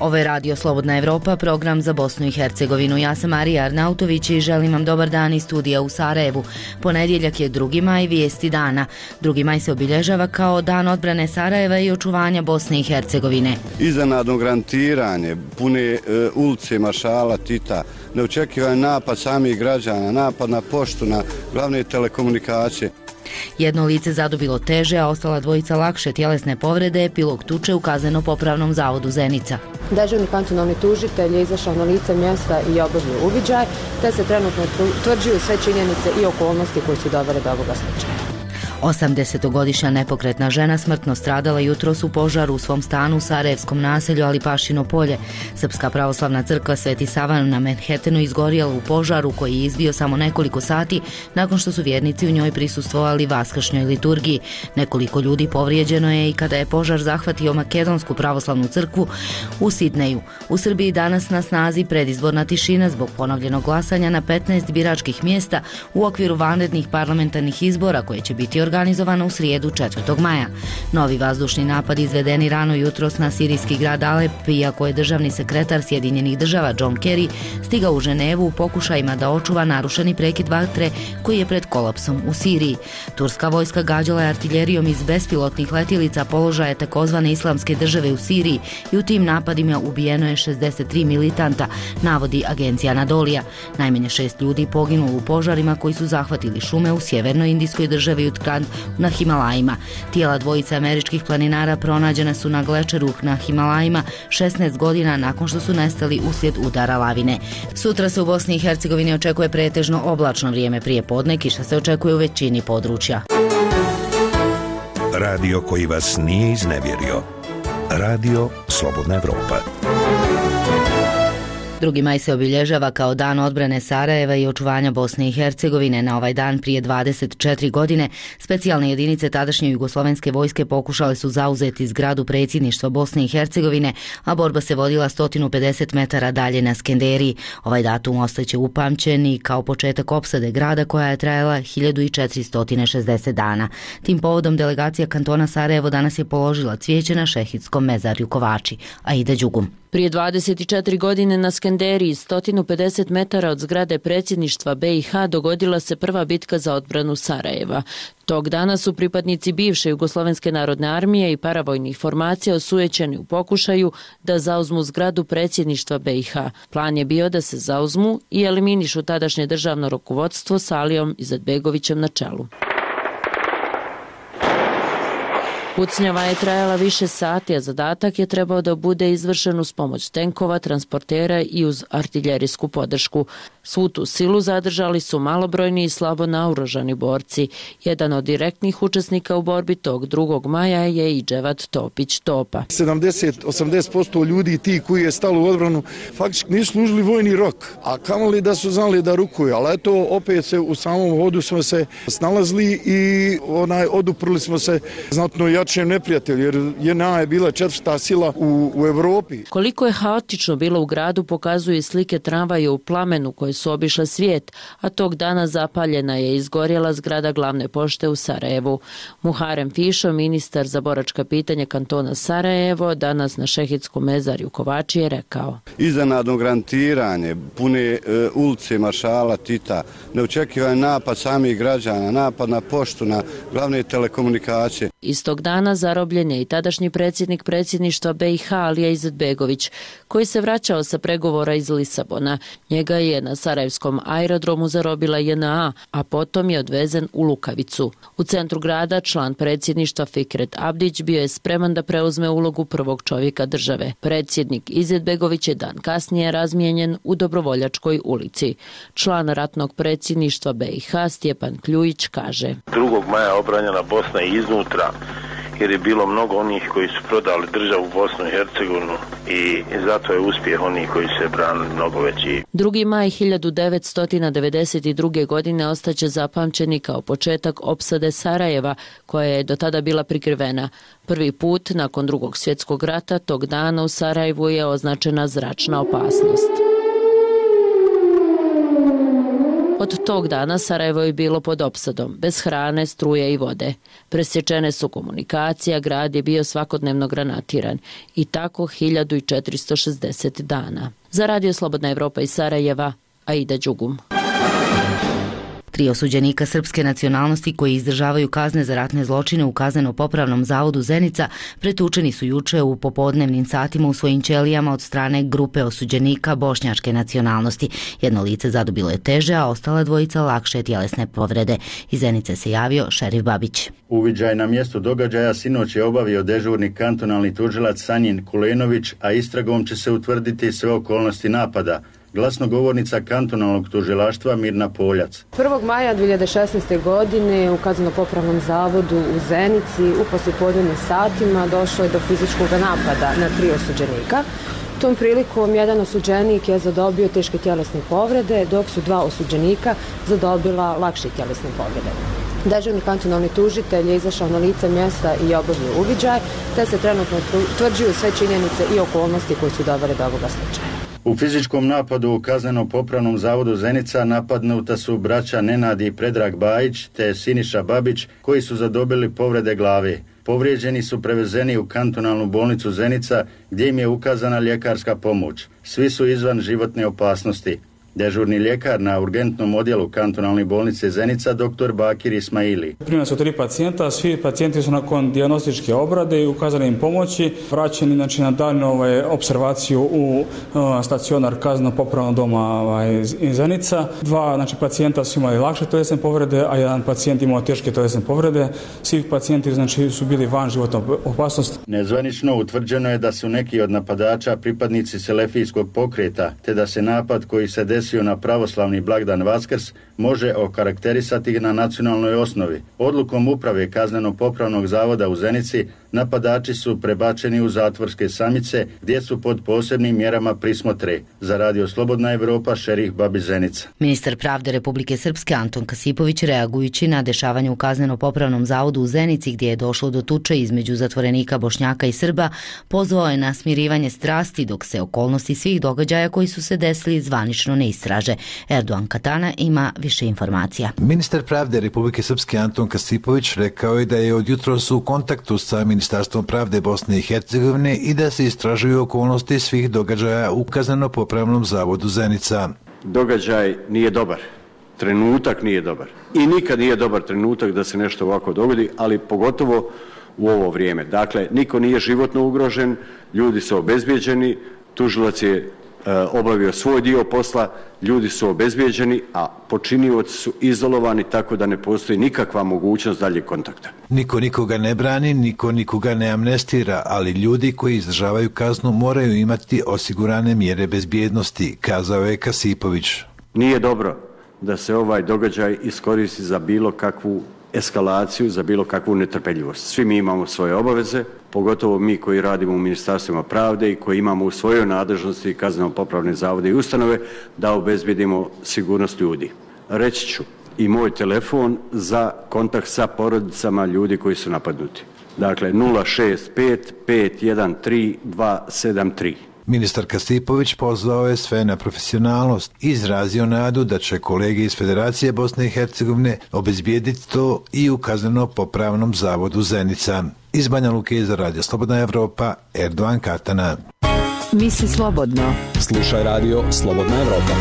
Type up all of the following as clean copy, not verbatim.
Ovo je Radio Slobodna Evropa, program za Bosnu i Hercegovinu. Ja sam Marija Arnautović i želim vam dobar dan iz studija u Sarajevu. Ponedjeljak je 2. maj, vijesti dana. 2. maj se obilježava kao dan odbrane Sarajeva i očuvanja Bosne i Hercegovine. Iznenadno grantiranje, pune ulice maršala Tita, neočekivan napad samih građana, napad na poštu, na glavne telekomunikacije. Jedno lice zadobilo teže, a ostala dvojica lakše tjelesne povrede, epilog tuče u Kazneno-popravnom zavodu Zenica. Dežurni kantonalni tužitelj je izašao na lice mjesta i obavio uviđaj, te se trenutno utvrđuju sve činjenice i okolnosti koje su dovele do ovoga slučaja. 80-godišnja nepokretna žena smrtno stradala jutros u požaru u svom stanu u sarajevskom naselju Alipašino polje. Srpska pravoslavna crkva Sveti Savan na Manhattanu izgorjela u požaru koji je izbio samo nekoliko sati nakon što su vjernici u njoj prisustvovali vaskršnjoj liturgiji. Nekoliko ljudi povrijeđeno je i kada je požar zahvatio Makedonsku pravoslavnu crkvu u Sidneju. U Srbiji danas na snazi predizborna tišina zbog ponovljenog glasanja na 15 biračkih mjesta u okviru vanrednih parlamentarnih izbora koje će biti organizovano u srijedu 4. maja. Novi vazdušni napad izvedeni rano jutros na sirijski grad Alep, iako je državni sekretar Sjedinjenih država John Kerry stigao u Ženevu u pokušajima da očuva narušeni prekid vatre koji je pred kolapsom u Siriji. Turska vojska gađala je artiljerijom iz bespilotnih letjelica položaje takozvane islamske države u Siriji i u tim napadima ubijeno je 63 militanta, navodi agencija Anadolija. Najmanje 6 ljudi poginulo u požarima koji su zahvatili šume u sjevernoj indijskoj državi Utkran na Himalajima. Tijela dvojice američkih planinara pronađena su na glečeru na Himalajima 16 godina nakon što su nestali uslijed udara lavine. Sutra se u Bosni i Hercegovini očekuje pretežno oblačno vrijeme prije podne, kiša se očekuje u većini područja. Radio koji vas nije iznevjerio. Radio Slobodna Evropa. 2. maj se obilježava kao dan odbrane Sarajeva i očuvanja Bosne i Hercegovine. Na ovaj dan prije 24 godine specijalne jedinice tadašnje jugoslovenske vojske pokušale su zauzeti zgradu predsjedništva Bosne i Hercegovine, a borba se vodila 150 metara dalje na Skenderiji. Ovaj datum ostaće upamćen i kao početak opsade grada koja je trajala 1460 dana. Tim povodom delegacija kantona Sarajevo danas je položila cvijeće na šehidskom mezarju Kovači. Aida Đugum. Prije 24 godine na Skenderiji, 150 metara od zgrade predsjedništva BiH, dogodila se prva bitka za odbranu Sarajeva. Tog dana su pripadnici bivše Jugoslovenske narodne armije i paravojnih formacija osujećeni u pokušaju da zauzmu zgradu predsjedništva BiH. Plan je bio da se zauzmu i eliminišu tadašnje državno rukovodstvo s Alijom Izetbegovićem na čelu. Pucnjava je trajala više sati, a zadatak je trebao da bude izvršen uz pomoć tenkova, transportera i uz artiljerijsku podršku. Svu tu silu zadržali su malobrojni i slabo naoružani borci. Jedan od direktnih učesnika u borbi tog 2. maja je i Dževat Topić Topa. 70-80% ljudi ti koji je stalo u odbranu faktički nisu služili vojni rok, a kamoli da su znali da rukuju, ali eto opet se u samom hodu smo se snalazili i oduprli smo se znatno jačem neprijatelju, jer JNA je bila 4. sila u Evropi. Koliko je haotično bilo u gradu pokazuje slike tramvaja u plamenu koje su obišle svijet, a tog dana zapaljena je i izgorjela zgrada glavne pošte u Sarajevu. Muharem Fišo, ministar za boračka pitanja kantona Sarajevo, danas na šehidskom mezarju Kovači je rekao: Iznenadno grantiranje, pune ulice maršala Tita, neočekivan napad samih građana, napad na poštu, na glavne telekomunikacije. Istog dana zarobljen je i tadašnji predsjednik predsjedništva BiH Alija Izetbegović, koji se vraćao sa pregovora iz Lisabona. Njega je na sarajevskom aerodromu zarobila JNA, a potom je odvezen u Lukavicu. U centru grada član predsjedništva Fikret Abdić bio je spreman da preuzme ulogu prvog čovjeka države. Predsjednik Izetbegović je dan kasnije razmijenjen u Dobrovoljačkoj ulici. Član ratnog predsjedništva BiH Stjepan Kljujić kaže: 2. maja obranjena Bosna i iznutra, jer je bilo mnogo onih koji su prodali državu Bosnu i Hercegovinu i zato je uspjeh onih koji se branili mnogo veći. 2. maj 1992. godine ostaće zapamćeni kao početak opsade Sarajeva, koja je do tada bila prikrivena. Prvi put nakon Drugog svjetskog rata tog dana u Sarajevu je označena zračna opasnost. Od tog dana Sarajevo je bilo pod opsadom, bez hrane, struje i vode. Presječene su komunikacija, grad je bio svakodnevno granatiran i tako 1460 dana. Za Radio Slobodna Evropa iz Sarajeva, Aida Đugum. 3 osuđenika srpske nacionalnosti koji izdržavaju kazne za ratne zločine u Kazneno-popravnom zavodu Zenica pretučeni su juče u popodnevnim satima u svojim ćelijama od strane grupe osuđenika bošnjačke nacionalnosti. Jedno lice zadobilo je teže, a ostala dvojica lakše tjelesne povrede. Iz Zenice se javio šerif Babić. Uviđaj na mjestu događaja sinoć je obavio dežurni kantonalni tužilac Sanjin Kulenović, a istragom će se utvrditi sve okolnosti napada. Glasnogovornica kantonalnog tužilaštva Mirna Poljac. 1. maja 2016. godine u Kazneno-popravnom zavodu u Zenici u poslijepodnevnim satima došlo je do fizičkog napada na 3 osuđenika. Tom prilikom jedan osuđenik je zadobio teške tjelesne povrede, dok su 2 osuđenika zadobila lakše tjelesne povrede. Dežurni kantonalni tužitelj je izašao na lice mjesta i obavio uviđaj, te se trenutno utvrđuju sve činjenice i okolnosti koje su dovele do ovoga slučaja. U fizičkom napadu u Kazneno-popravnom zavodu Zenica napadnuta su braća Nenad i Predrag Bajić te Siniša Babić, koji su zadobili povrede glave. Povrijeđeni su prevezeni u kantonalnu bolnicu Zenica, gdje im je ukazana ljekarska pomoć. Svi su izvan životne opasnosti. Dežurni ljekar na urgentnom odjelu kantonalne bolnice Zenica, dr. Bakir Ismaili. Primljeni su 3 pacijenta, svi pacijenti su nakon dijagnostičke obrade i ukazane im pomoći vraćeni na daljnju observaciju u stacionar Kazneno-popravnog doma Zenica. 2 pacijenta su imali lakše tjelesne povrede, a 1 pacijent imao teške tjelesne povrede. Svi pacijenti su bili van životne opasnosti. Nezvanično utvrđeno je da su neki od napadača pripadnici selefijskog pokreta, te da se napad koji se desio na pravoslavni blagdan Vaskrs može okarakterisati na nacionalnoj osnovi. Odlukom uprave Kazneno-popravnog zavoda u Zenici napadači su prebačeni u zatvorske samice gdje su pod posebnim mjerama prismotre. Za Radio Slobodna Evropa, šerif Babić Zenica. Ministar pravde Republike Srpske Anton Kasipović, reagujući na dešavanje u Kazneno-popravnom zavodu u Zenici gdje je došlo do tuče između zatvorenika Bošnjaka i Srba, pozvao je na smirivanje strasti dok se okolnosti svih događaja koji su se desili zvanično ne istraže. Erdogan Katana ima više informacija. Ministar pravde Republike Srpske Anton Kasipović rekao je da je od jutros u kontaktu sa Ministarstvom pravde Bosne i Hercegovine i da se istražuju okolnosti svih događaja u Kazneno-popravnom zavodu Zenica. Događaj nije dobar, trenutak nije dobar i nikad nije dobar trenutak da se nešto ovako dogodi, ali pogotovo u ovo vrijeme. Dakle, niko nije životno ugrožen, ljudi su obezbijeđeni, tužilac je obavio svoj dio posla, ljudi su obezbijeđeni, a počinioci su izolovani tako da ne postoji nikakva mogućnost daljeg kontakta. Niko nikoga ne brani, niko nikoga ne amnestira, ali ljudi koji izdržavaju kaznu moraju imati osigurane mjere bezbjednosti, kazao je Kasipović. Nije dobro da se ovaj događaj iskoristi za bilo kakvu eskalaciju, za bilo kakvu netrpeljivost. Svi mi imamo svoje obaveze, pogotovo mi koji radimo u Ministarstvima pravde i koji imamo u svojoj nadležnosti kazneno-popravne zavode i ustanove da obezbjedimo sigurnost ljudi. Reći ću i moj telefon za kontakt sa porodicama ljudi koji su napadnuti. Dakle, 065 513 273. Ministar Kasipović pozvao je sve na profesionalnost i izrazio nadu da će kolege iz Federacije Bosne i Hercegovine obezbijediti to i u Kazneno-popravnom zavodu Zenica. Iz Banja Luke za Radio Slobodna Evropa, Erdogan Katana. Misli slobodno. Slušaj Radio Slobodna Evropa.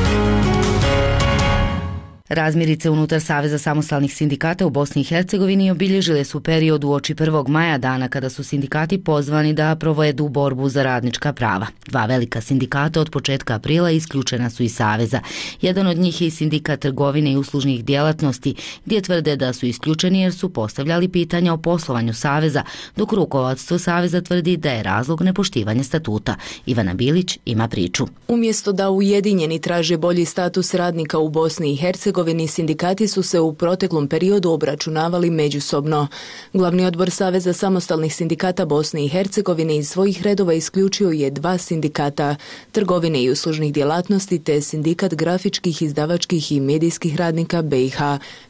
Razmirice unutar Saveza samostalnih sindikata u Bosni i Hercegovini obilježile su period uoči 1. maja, dana kada su sindikati pozvani da provedu borbu za radnička prava. 2 velika sindikata od početka aprila isključena su iz Saveza. Jedan od njih je i sindikat trgovine i uslužnih djelatnosti, gdje tvrde da su isključeni jer su postavljali pitanja o poslovanju Saveza, dok rukovodstvo Saveza tvrdi da je razlog nepoštivanje statuta. Ivana Bilić ima priču. Umjesto da ujedinjeni traže bolji status radnika u Bosni i Hercegovini, sindikati su se u proteklom periodu obračunavali međusobno. Glavni odbor Saveza samostalnih sindikata Bosne i Hercegovine iz svojih redova isključio je 2 sindikata, trgovine i uslužnih djelatnosti te sindikat grafičkih, izdavačkih i medijskih radnika BiH.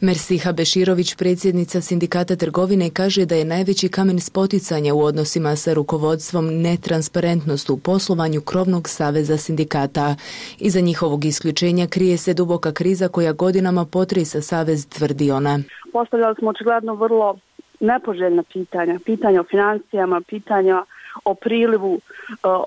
Mersiha Beširović, predsjednica sindikata trgovine, kaže da je najveći kamen spoticanja u odnosima sa rukovodstvom netransparentnost u poslovanju krovnog Saveza sindikata. Iza njihovog isključenja krije se duboka kriza koja godinama godinama potresa savez, tvrdi ona. Postavljali smo očigledno vrlo nepoželjna pitanja o financijama, pitanja o prilivu,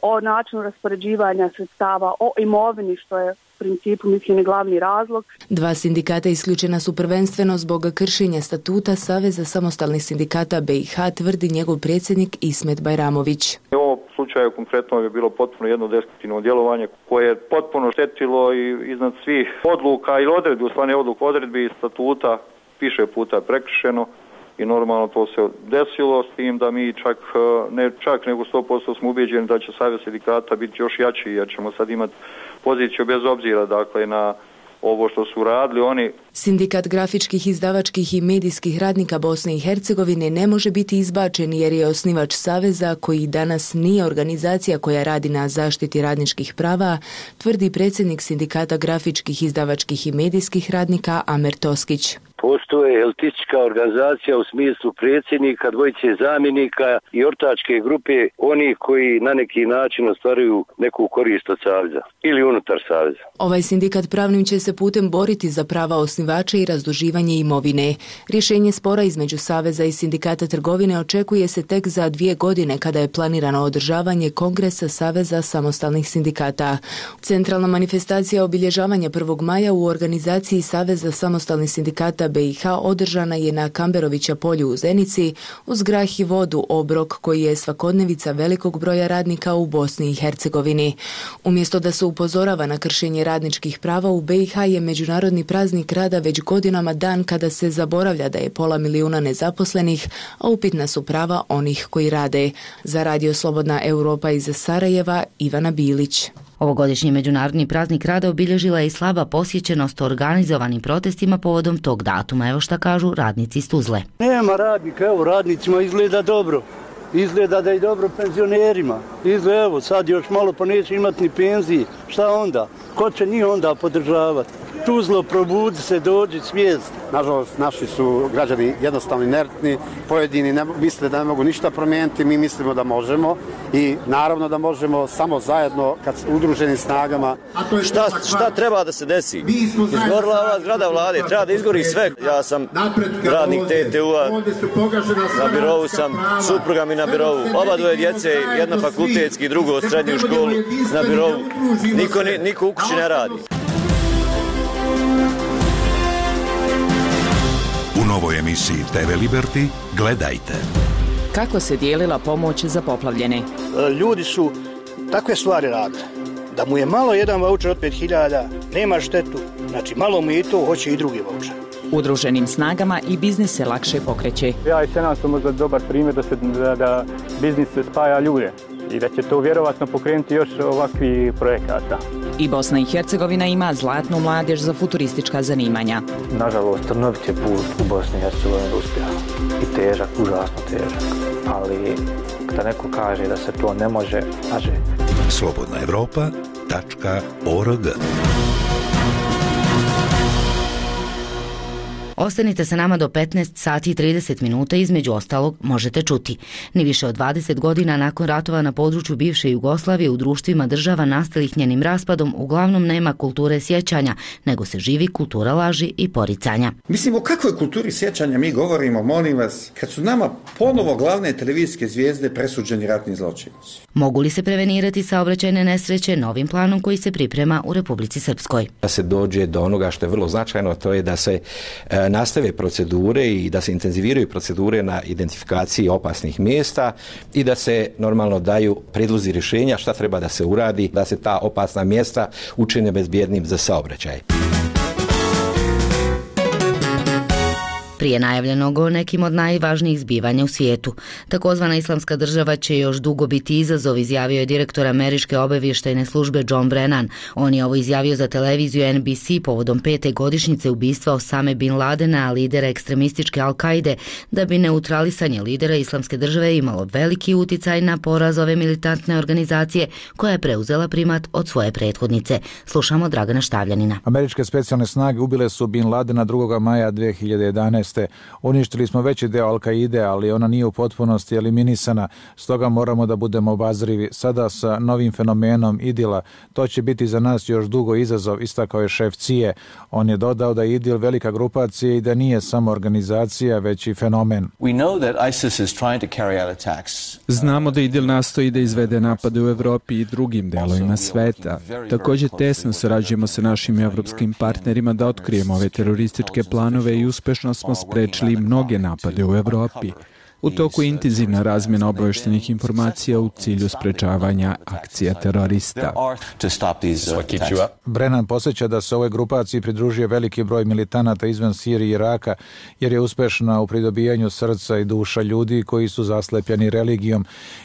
o načinu raspoređivanja sredstava, o imovini, što je u principu, mislim, glavni razlog. 2 sindikata isključena su prvenstveno zbog kršenja statuta Saveza samostalnih sindikata BiH, tvrdi njegov predsjednik Ismet Bajramović. U ovom slučaju konkretno je bilo potpuno jedno destruktivno djelovanje koje je potpuno štetilo i iznad svih odluka i odredbi, u stvari odredbi i statuta više puta prekršeno. I normalno to se desilo, s tim da mi čak nego 100% smo ubeđeni da će Savez sindikata biti još jači, jer ćemo sad imati poziciju bez obzira, dakle, na ovo što su radili oni. Sindikat grafičkih, izdavačkih i medijskih radnika Bosne i Hercegovine ne može biti izbačen jer je osnivač Saveza, koji danas nije organizacija koja radi na zaštiti radničkih prava, tvrdi predsjednik Sindikata grafičkih, izdavačkih i medijskih radnika Amer Toskić. Postoje elitistička organizacija u smislu predsjednika, dvojice zamjenika i ortačke grupe, oni koji na neki način ostvaruju neku korist od Saveza ili unutar Saveza. Ovaj sindikat pravnim će se putem boriti za prava osnivača i razduživanje imovine. Rješenje spora između Saveza i Sindikata trgovine očekuje se tek za 2 godine, kada je planirano održavanje Kongresa Saveza samostalnih sindikata. Centralna manifestacija obilježavanja 1. maja u organizaciji Saveza samostalnih sindikata BiH održana je na Kamberovića polju u Zenici uz grah i vodu, obrok koji je svakodnevica velikog broja radnika u Bosni i Hercegovini. Umjesto da se upozorava na kršenje radničkih prava, u BiH je Međunarodni praznik rada već godinama dan kada se zaboravlja da je 500 milijuna nezaposlenih, a upitna su prava onih koji rade. Za Radio Slobodna Europa iz Sarajeva, Ivana Bilić. Ovogodišnji Međunarodni praznik rada obilježila je i slaba posjećenost organizovanim protestima povodom tog datuma. Evo šta kažu radnici iz Tuzle. Nema radnika, evo radnicima izgleda dobro. Izgleda da je dobro penzionerima. Izgleda, evo, sad još malo pa neće imati ni penzije. Šta onda? Ko će njih onda podržavati? Tuzlo, probudi se, dođi, svijest. Nažalost, naši su građani jednostavno inertni, pojedini misle da ne mogu ništa promijeniti, mi mislimo da možemo i naravno da možemo samo zajedno kad udruženim snagama. Šta treba da se desi? Izgorila ova zgrada vlade, treba da izgori sve. Ja sam radnik TTU-a, na birovu sam, supruga mi na birovu, oba dvoje djece, jedna fakultetski, drugo srednju školu na birovu. Niko u kući ne radi. U novoj emisiji TV Liberty gledajte. Kako se dijelila pomoć za poplavljene? Ljudi su takve stvari radili. Da mu je malo jedan vaučer od 5.000, nema štetu. Znači malo mu je i to, hoće i drugi vaučer. Udruženim snagama i biznis se lakše pokreće. Ja i Senat su možda dobar primjer da biznis se spaja ljude i da će to vjerovatno pokrenuti još ovakvi projekata. I Bosna i Hercegovina ima zlatnu mladež za futuristička zanimanja. Nažalost, trnovit je put u Bosni i Hercegovini uspjeha. I težak, užasno težak. Ali kada neko kaže da se to ne može, može. slobodnaevropa.org. Ostanite sa nama do 15 sati i 30 minuta, između ostalog možete čuti. Ni više od 20 godina nakon ratova na području bivše Jugoslavije u društvima država nastalih njenim raspadom uglavnom nema kulture sjećanja, nego se živi kultura laži i poricanja. Mislim, o kakvoj kulturi sjećanja mi govorimo, molim vas, kad su nama ponovo glavne televizijske zvijezde presuđeni ratni zločinci? Mogu li se prevenirati saobraćajne nesreće novim planom koji se priprema u Republici Srpskoj? Da se dođe do onoga što je vrlo značajno, to je da se nastave procedure i da se intenziviraju procedure na identifikaciji opasnih mjesta i da se normalno daju prijedlozi rješenja šta treba da se uradi, da se ta opasna mjesta učine bezbjednim za saobraćaj. Prije najavljenog o nekim od najvažnijih zbivanja u svijetu. Takozvana islamska država će još dugo biti izazov, izjavio je direktor američke obavještajne službe John Brennan. On je ovo izjavio za televiziju NBC povodom 5. godišnjice ubistva Osame Bin Ladena, lidera ekstremističke Al-Kaide, da bi neutralisanje lidera islamske države imalo veliki uticaj na poraz ove militantne organizacije koja je preuzela primat od svoje prethodnice. Slušamo Dragana Štavljanina. Američke specijalne snage ubile su Bin Ladena 2. maja 2011. jeste, uništili smo veći deo Al-Kaide, ali ona nije u potpunosti eliminisana, stoga moramo da budemo obazrivi. Sada sa novim fenomenom IDIL-a, to će biti za nas još dugo izazov, istakao je šef CIA. On je dodao da je IDIL velika grupacija i da nije samo organizacija, već i fenomen. Znamo da IDIL nastoji da izvede napade u Evropi i drugim delovima sveta. Također tesno sarađujemo sa našim evropskim partnerima da otkrijemo ove terorističke planove i uspešno smo sprečili mnoge napade u Evropi. U toku je intenzivna razmjena obavještajnih informacija u cilju sprečavanja akcija terorista. Brennan podsjeća da se ovoj grupaciji pridružio veliki broj militanata izvan Sirije i Iraka, jer je uspešna u pridobijanju srca i duša ljudi koji su zaslepljeni religijom.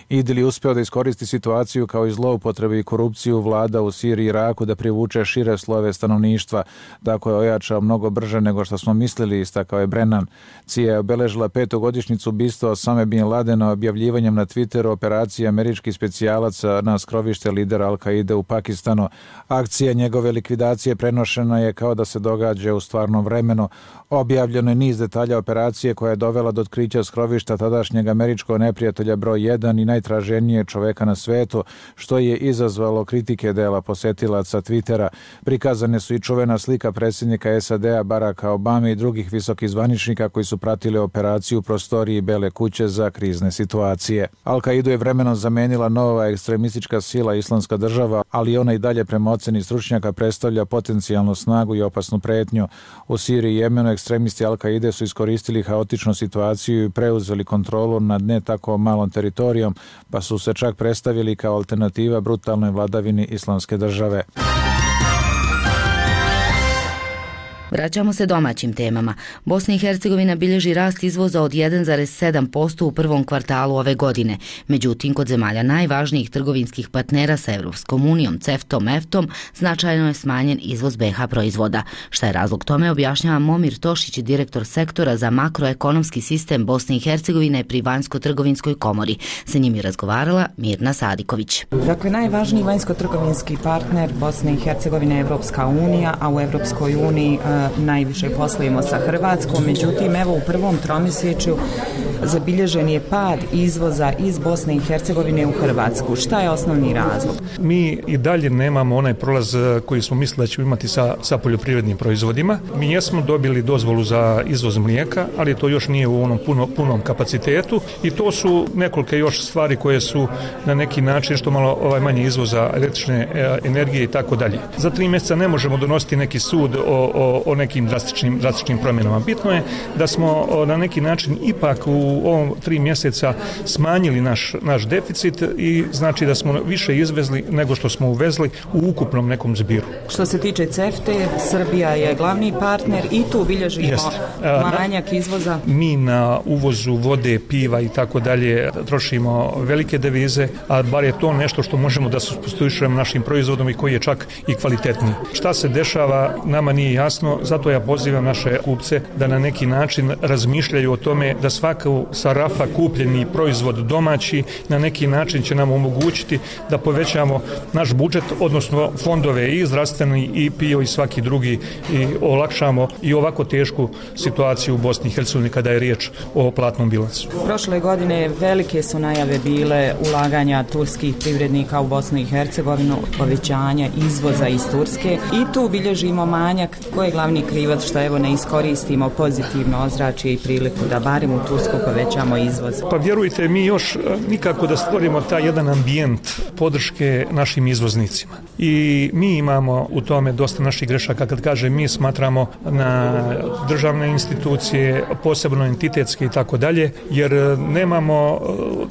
IDIL je uspeo da iskoristi situaciju kao i zloupotrebu i korupciju vlada u Siriji i Iraku da privuče šire slojeve stanovništva. Tako je ojačao mnogo brže nego što smo mislili, istakao je Brennan. CIA je obeležila 5. godišnjicu ubistva Osame bin Ladena objavljivanjem na Twitteru operacije američkih specijalaca na skrovište lidera Al-Kaide u Pakistanu. Akcija njegove likvidacije prenošena je kao da se događa u stvarnom vremenu. Objavljeno je niz detalja operacije koja je dovela do otkrića skrovišta tadašnjeg američkog neprijatelja broj 1 i najtraženije čoveka na svetu, što je izazvalo kritike dela posetilaca Twittera. Prikazane su i čuvena slika predsjednika SAD-a Baracka Obame i drugih visokih zvaničnika koji su pratili operaciju u prostoriji Bele kuće za krizne situacije. Al-Kaidu je vremenom zamenila nova ekstremistička sila Islamska država, ali ona i dalje prema oceni stručnjaka predstavlja potencijalnu snagu i opasnu pretnju. U Siriji i Jemenu ekstremisti Al-Kaide su iskoristili haotičnu situaciju i preuzeli kontrolu nad ne tako malom teritorijom, pa su se čak predstavili kao alternativa brutalnoj vladavini Islamske države. Vraćamo se domaćim temama. Bosna i Hercegovina bilježi rast izvoza od 1,7% u prvom kvartalu ove godine. Međutim, kod zemalja najvažnijih trgovinskih partnera sa Evropskom unijom, CEFTA-om, EFTA-om, značajno je smanjen izvoz BiH proizvoda. Šta je razlog tome, objašnjava Momir Tošić, direktor sektora za makroekonomski sistem Bosne i Hercegovine pri Vanjsko-trgovinskoj komori. Sa njim je razgovarala Mirna Sadiković. Dakle, najvažniji vanjsko-trgovinski partner Bosne i Hercegovine je Evropska unija, a u Evropskoj uniji najviše poslujemo sa Hrvatskom, međutim evo u prvom tromjesečju zabilježen je pad izvoza iz Bosne i Hercegovine u Hrvatsku. Šta je osnovni razlog? Mi i dalje nemamo onaj prolaz koji smo mislili da ćemo imati sa poljoprivrednim proizvodima. Mi jesmo dobili dozvolu za izvoz mlijeka, ali to još nije u onom punom kapacitetu i to su nekoliko još stvari koje su na neki način što malo manje izvoza električne energije i tako dalje. Za 3 mjeseca ne možemo donositi neki sud o nekim drastičnim promjenama. Bitno je da smo na neki način ipak u ovom 3 mjeseca smanjili naš deficit i znači da smo više izvezli nego što smo uvezli u ukupnom nekom zbiru. Što se tiče CEFTA-e, Srbija je glavni partner i tu bilježimo manjak izvoza. Mi na uvozu vode, piva i tako dalje trošimo velike devize, a bar je to nešto što možemo da supstituišemo našim proizvodom i koji je čak i kvalitetniji. Šta se dešava, nama nije jasno, zato ja pozivam naše kupce da na neki način razmišljaju o tome da svaku sa rafa kupljeni proizvod domaći na neki način će nam omogućiti da povećamo naš budžet, odnosno fondove i zdravstveni i PIO i svaki drugi i olakšamo i ovako tešku situaciju u Bosni i Hercegovini kada je riječ o platnom bilansu. Prošle godine velike su najave bile ulaganja turskih privrednika u Bosnu i Hercegovinu, povećanja izvoza iz Turske i tu bilježimo manjak. Ko je glavni krivac što evo ne iskoristimo pozitivno ozračje i priliku da barem u Tursku povećamo izvoz? Pa vjerujte, mi još nikako da stvorimo taj jedan ambijent podrške našim izvoznicima. I mi imamo u tome dosta naših grešaka. Kad kažem mi, smatramo na državne institucije, posebno entitetske i tako dalje, jer nemamo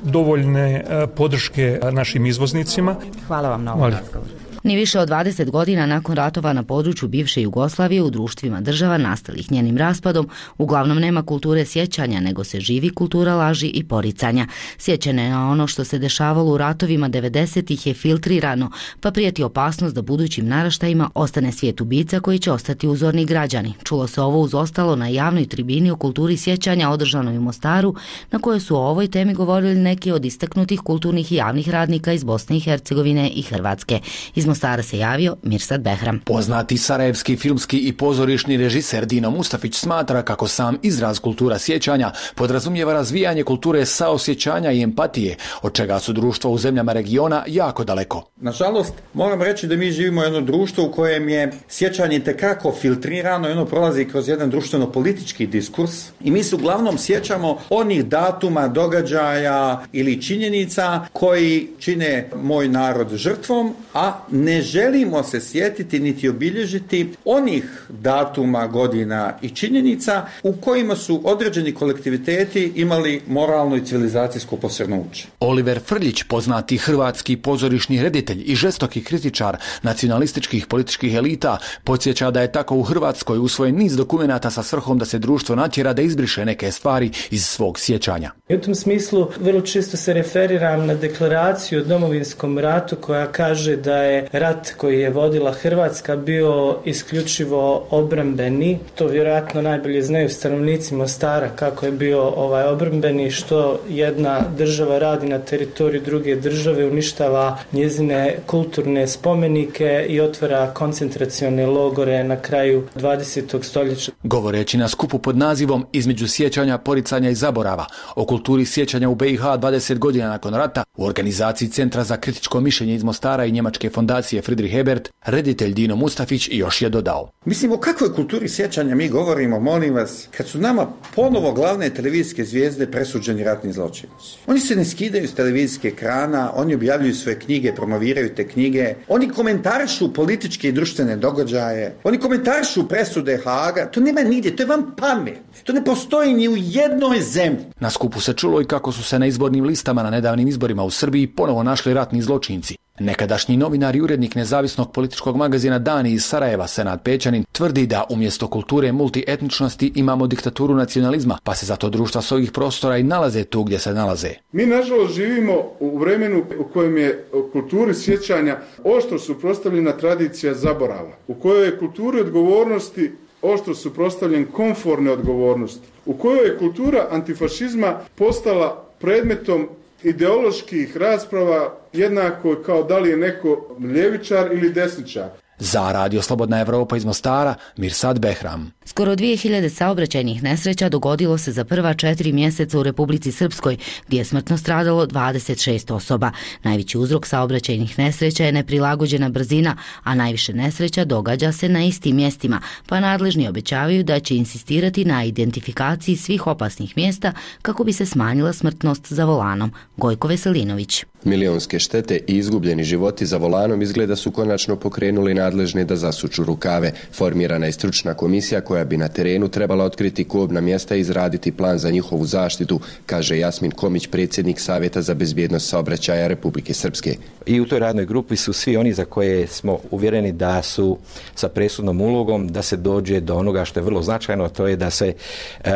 dovoljne podrške našim izvoznicima. Hvala vam na ovom razgovoru. Ni više od 20 godina nakon ratova na području bivše Jugoslavije u društvima država nastalih njenim raspadom uglavnom nema kulture sjećanja, nego se živi kultura laži i poricanja. Sjećanje na ono što se dešavalo u ratovima 90-ih je filtrirano, pa prijeti opasnost da budućim naraštajima ostane svijet ubica koji će ostati uzorni građani. Čulo se ovo uz ostalo na javnoj tribini o kulturi sjećanja održanoj u Mostaru, na kojoj su o ovoj temi govorili neki od istaknutih kulturnih i javnih radnika iz Bosne i Hercegovine i Hrvatske. Iz Mostara se javio Mirsad Behram. Poznati sarajevski filmski i pozorišni režiser Dino Mustafić smatra kako sam izraz kultura sjećanja podrazumijeva razvijanje kulture saosjećanja i empatije, od čega su društva u zemljama regiona jako daleko. Nažalost, moram reći da mi živimo u jedno društvo u kojem je sjećanje tekako filtrirano i ono prolazi kroz jedan društveno-politički diskurs i mi se uglavnom sjećamo onih datuma, događaja ili činjenica koji čine moj narod žrtvom, a ne želimo se sjetiti niti obilježiti onih datuma, godina i činjenica u kojima su određeni kolektiviteti imali moralno i civilizacijsko posrnuće. Oliver Frljić, poznati hrvatski pozorišni reditelj i žestoki kritičar nacionalističkih političkih elita, podsjeća da je tako u Hrvatskoj usvojen niz dokumenata sa svrhom da se društvo natjera da izbriše neke stvari iz svog sjećanja. U tom smislu vrlo često se referiram na deklaraciju o Domovinskom ratu koja kaže da je rat koji je vodila Hrvatska bio isključivo obrambeni. To vjerojatno najbolje znaju stanovnici Mostara kako je bio obrambeni, što jedna država radi na teritoriju druge države, uništava njezine kulturne spomenike i otvara koncentracione logore na kraju 20. stoljeća. Govoreći na skupu pod nazivom Između sjećanja, poricanja i zaborava o kulturi sjećanja u BiH 20 godina nakon rata u organizaciji Centra za kritičko mišljenje iz Mostara i njemačke fondacije Friedrich Ebert, reditelj Dino Mustafić još je dodao. Mislim, o kakvoj kulturi sjećanja mi govorimo, molim vas, kad su nama ponovo glavne televizijske zvijezde presuđeni ratni zločinci. Oni se ne skidaju s televizijske ekrana, oni objavljuju svoje knjige, promoviraju te knjige, oni komentarišu političke i društvene događaje, oni komentarišu presude Haaga, to nema nigdje, to je vam pamet. To ne postoji ni u jednoj zemlji. Na skupu se čulo i kako su se na izbornim listama na nedavnim izborima u Srbiji ponovo našli ratni zločinci. Nekadašnji novinar i urednik nezavisnog političkog magazina Dani iz Sarajeva, Senad Pećanin, tvrdi da umjesto kulture multietničnosti imamo diktaturu nacionalizma, pa se zato društva s ovih prostora i nalaze tu gdje se nalaze. Mi nažalost živimo u vremenu u kojem je u kulturi sjećanja oštro suprotstavljena tradicija zaborava, u kojoj je kulturi odgovornosti oštro suprotstavljen komforne odgovornosti, u kojoj je kultura antifašizma postala predmetom ideoloških rasprava jednako kao da li je neko ljevičar ili desničar. Za Radio Slobodna Evropa iz Mostara, Mirsad Behram. Skoro 2000 saobraćajnih nesreća dogodilo se za prva 4 mjeseca u Republici Srpskoj, gdje je smrtno stradalo 26 osoba. Najveći uzrok saobraćajnih nesreća je neprilagođena brzina, a najviše nesreća događa se na istim mjestima, pa nadležni obećavaju da će insistirati na identifikaciji svih opasnih mjesta kako bi se smanjila smrtnost za volanom. Gojko Veselinović. Milionske štete i izgubljeni životi za volanom izgleda su konačno pokrenuli nadležne da zasuču rukave. Formirana je stručna komisija koja bi na terenu trebala otkriti kobna mjesta i izraditi plan za njihovu zaštitu, kaže Jasmin Komić, predsjednik Savjeta za bezbjednost saobraćaja Republike Srpske. I u toj radnoj grupi su svi oni za koje smo uvjereni da su sa presudnom ulogom da se dođe do onoga što je vrlo značajno, a to je da se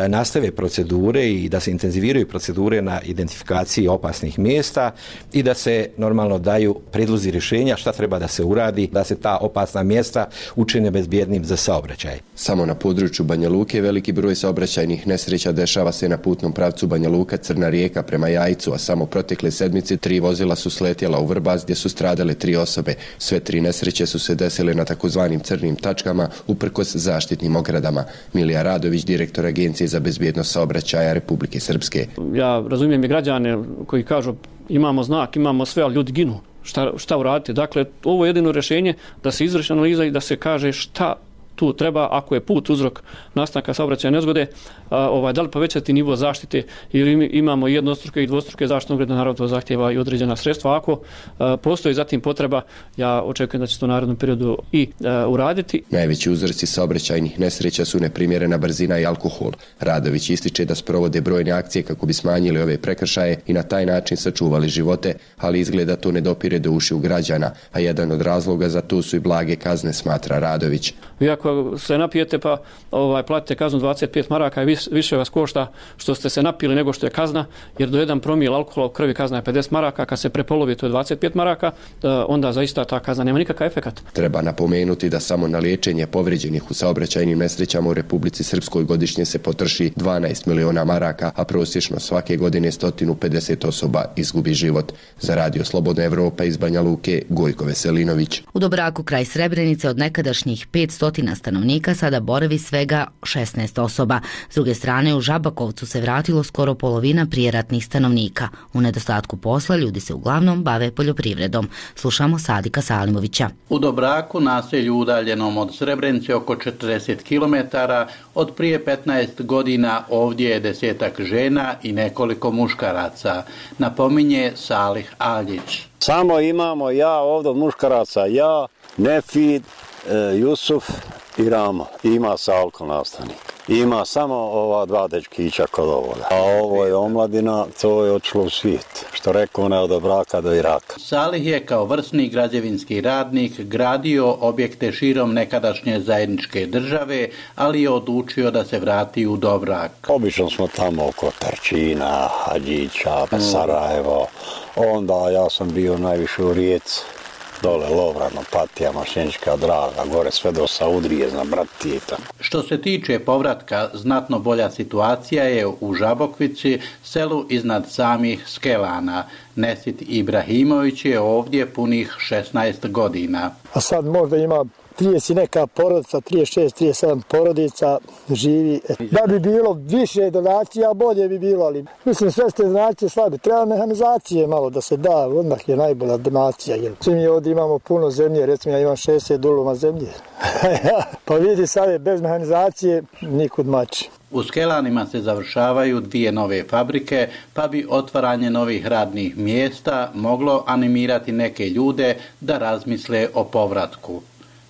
nastave procedure i da se intenziviraju procedure na identifikaciji opasnih mjesta i da se normalno daju prijedlozi rješenja šta treba da se uradi, da se ta opasna mjesta učine bezbjednim za saobraćaj. Samo na području Banja Luke veliki broj saobraćajnih nesreća dešava se na putnom pravcu Banja Luka Crna Rijeka prema Jajcu, a samo protekle sedmice 3 vozila su sletjela u Vrbas gdje su stradale 3 osobe. Sve 3 nesreće su se desile na takozvanim crnim tačkama uprkos zaštitnim ogradama. Milija Radović, direktor Agencije za bezbjednost saobraćaja Republike Srpske. Ja razumijem i građane koji kažu imamo znak, imamo sve, ali ljudi ginu. Šta uraditi? Dakle, ovo je jedino rješenje da se izvrši analiza i da se kaže šta tu treba, ako je put uzrok nastanka saobraćajne nezgode, da li povećati nivo zaštite ili imamo jednostruke i dvostruke zaštitne ograde, naravno to zahtjeva i određena sredstva. Ako postoji zatim potreba, ja očekujem da će to u narednom periodu i uraditi. Najveći uzroci saobraćajnih nesreća su neprimjerena brzina i alkohol. Radović ističe da sprovode brojne akcije kako bi smanjili ove prekršaje i na taj način sačuvali živote, ali izgleda to ne dopire do ušiju građana, a jedan od razloga za to su i blage kazne, smatra Radović. Vi ako ako se napijete pa platite kaznu 25 maraka i više vas košta što ste se napili nego što je kazna, jer do 1 promil alkohola u krvi kazna je 50 maraka, kad se prepolovi to je 25 maraka, onda zaista ta kazna nema nikakav efekat. Treba napomenuti da samo na liječenje povrijeđenih u saobraćajnim nesrećama u Republici Srpskoj godišnje se potroši 12 miliona maraka, a prosječno svake godine 150 osoba izgubi život. Za Radio Slobodna Evropa iz Banja Luke, Gojko Veselinović. U Dobraku kraj Srebrenice od nekadašnjih 500 stanovnika sada boravi svega 16 osoba. S druge strane, u Žabakovcu se vratilo skoro polovina prijeratnih stanovnika. U nedostatku posla ljudi se uglavnom bave poljoprivredom. Slušamo Sadika Salimovića. U Dobraku, naselju udaljenom od Srebrenice oko 40 km, od prije 15 godina ovdje je 10-ak žena i nekoliko muškaraca, napominje Salih Aljić. Samo imamo ja ovdje muškaraca, ja, Nefid, Jusuf i Ramo. Ima Salko nastavnik. Ima samo ova 2 dečkića kod ovoga. A ovo je omladina, to je otišlo u svijet. Što rekao, ne od Dobraka do Iraka. Salih je kao vrsni građevinski radnik gradio objekte širom nekadašnje zajedničke države, ali je odlučio da se vrati u Dobrak. Obično smo tamo oko Tarčina, Hadžića, Sarajevo. Onda ja sam bio najviše u Rijeci. Dole Lovrano, Patija, Mašenička Draga, gore sve do Saudrije, zna Bratita. Što se tiče povratka, znatno bolja situacija je u Žabokvici, selu iznad samih Skelana. Nesit Ibrahimović je ovdje punih 16 godina. A sad možda ima 30 neka porodica, 36-37 porodica živi. Da bi bilo više donacija, bolje bi bilo, ali mislim sve ste donacije slabe. Treba mehanizacije malo da se da, odmah je najbolja donacija. Svi mi ovdje imamo puno zemlje, recimo ja imam 60 duluma zemlje. Pa vidi sad, bez mehanizacije nikud mači. U Skelanima se završavaju 2 nove fabrike, pa bi otvaranje novih radnih mjesta moglo animirati neke ljude da razmisle o povratku.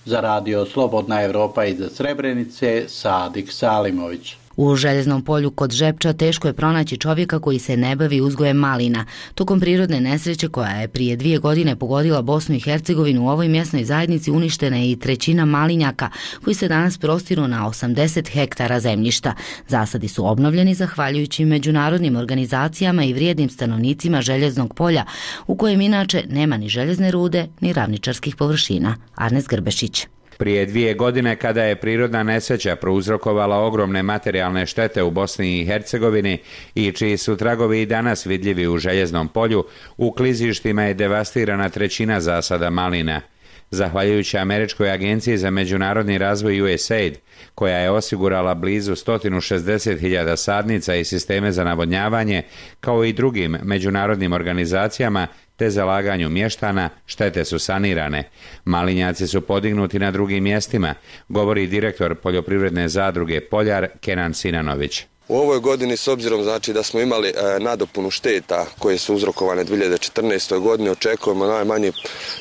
Za Radio Slobodna Evropa iz Srebrenice, Sadik Salimović. U Željeznom polju kod Žepča teško je pronaći čovjeka koji se ne bavi uzgojem malina. Tokom prirodne nesreće koja je prije 2 godine pogodila Bosnu i Hercegovinu, u ovoj mjesnoj zajednici uništena je i 1/3 malinjaka koji se danas prostiru na 80 hektara zemljišta. Zasadi su obnovljeni zahvaljujući međunarodnim organizacijama i vrijednim stanovnicima Željeznog polja, u kojem inače nema ni željezne rude ni ravničarskih površina. Arnes Grbešić. Prije 2 godine, kada je prirodna nesreća prouzrokovala ogromne materijalne štete u Bosni i Hercegovini i čiji su tragovi i danas vidljivi u Željeznom polju, u klizištima je devastirana 1/3 zasada malina. Zahvaljujući Američkoj agenciji za međunarodni razvoj USAID, koja je osigurala blizu 160.000 sadnica i sisteme za navodnjavanje, kao i drugim međunarodnim organizacijama, te zalaganju mještana, štete su sanirane. Malinjaci su podignuti na drugim mjestima, govori direktor poljoprivredne zadruge Poljar Kenan Sinanović. U ovoj godini, s obzirom znači da smo imali nadopunu šteta koje su uzrokovane 2014. godine, očekujemo najmanje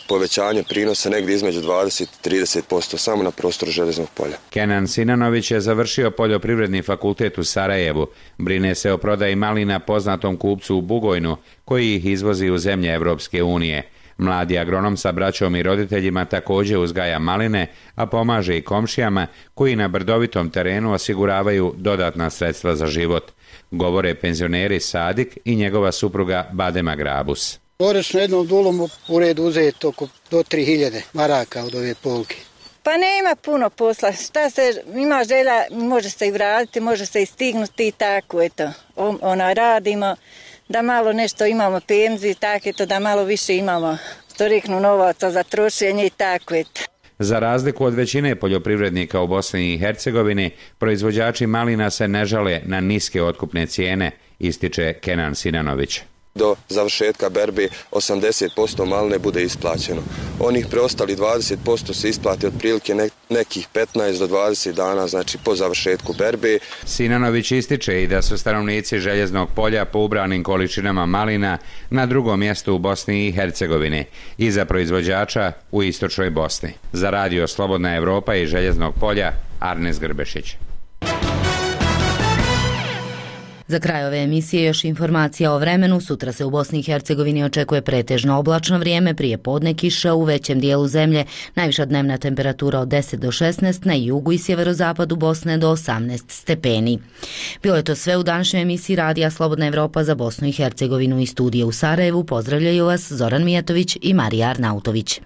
povećanje prinosa negdje između 20 i 30% samo na prostoru Željeznog polja. Kenan Sinanović je završio poljoprivredni fakultet u Sarajevu. Brine se o prodaji malina poznatom kupcu u Bugojnu, koji ih izvozi u zemlje Evropske unije. Mladi agronom sa braćom i roditeljima također uzgaja maline, a pomaže i komšijama koji na brdovitom terenu osiguravaju dodatna sredstva za život. Govore penzioneri Sadik i njegova supruga Badema Grabus. Godišnje jednom dulom u redu uzeti oko do 3000 maraka od ove polke. Pa nema puno posla, šta se ima želja, može se i vratiti, može se i stignuti i tako, eto, radimo. Da malo nešto imamo penziju, tako eto, da malo više imamo, što reknu, novaca za trošenje i tako eto. Za razliku od većine poljoprivrednika u Bosni i Hercegovini, proizvođači malina se ne žale na niske otkupne cijene, ističe Kenan Sinanović. Do završetka berbe 80% maline bude isplaćeno. Onih preostali 20% se isplati otprilike nekih 15 do 20 dana, znači po završetku berbe. Sinanović ističe i da su stanovnici Željeznog polja po ubranim količinama malina na drugom mjestu u Bosni i Hercegovini, iza proizvođača u istočnoj Bosni. Za Radio Slobodna Evropa i Željeznog polja, Arnes Grbešić. Za kraj ove emisije još informacija o vremenu. Sutra se u Bosni i Hercegovini očekuje pretežno oblačno vrijeme, prije podne kiša u većem dijelu zemlje, najviša dnevna temperatura od 10 do 16, na jugu i sjeverozapadu Bosne do 18 stepeni. Bilo je to sve u današnjoj emisiji Radija Slobodna Evropa za Bosnu i Hercegovinu. Iz studija u Sarajevu pozdravljaju vas Zoran Mijatović i Marija Arnautović.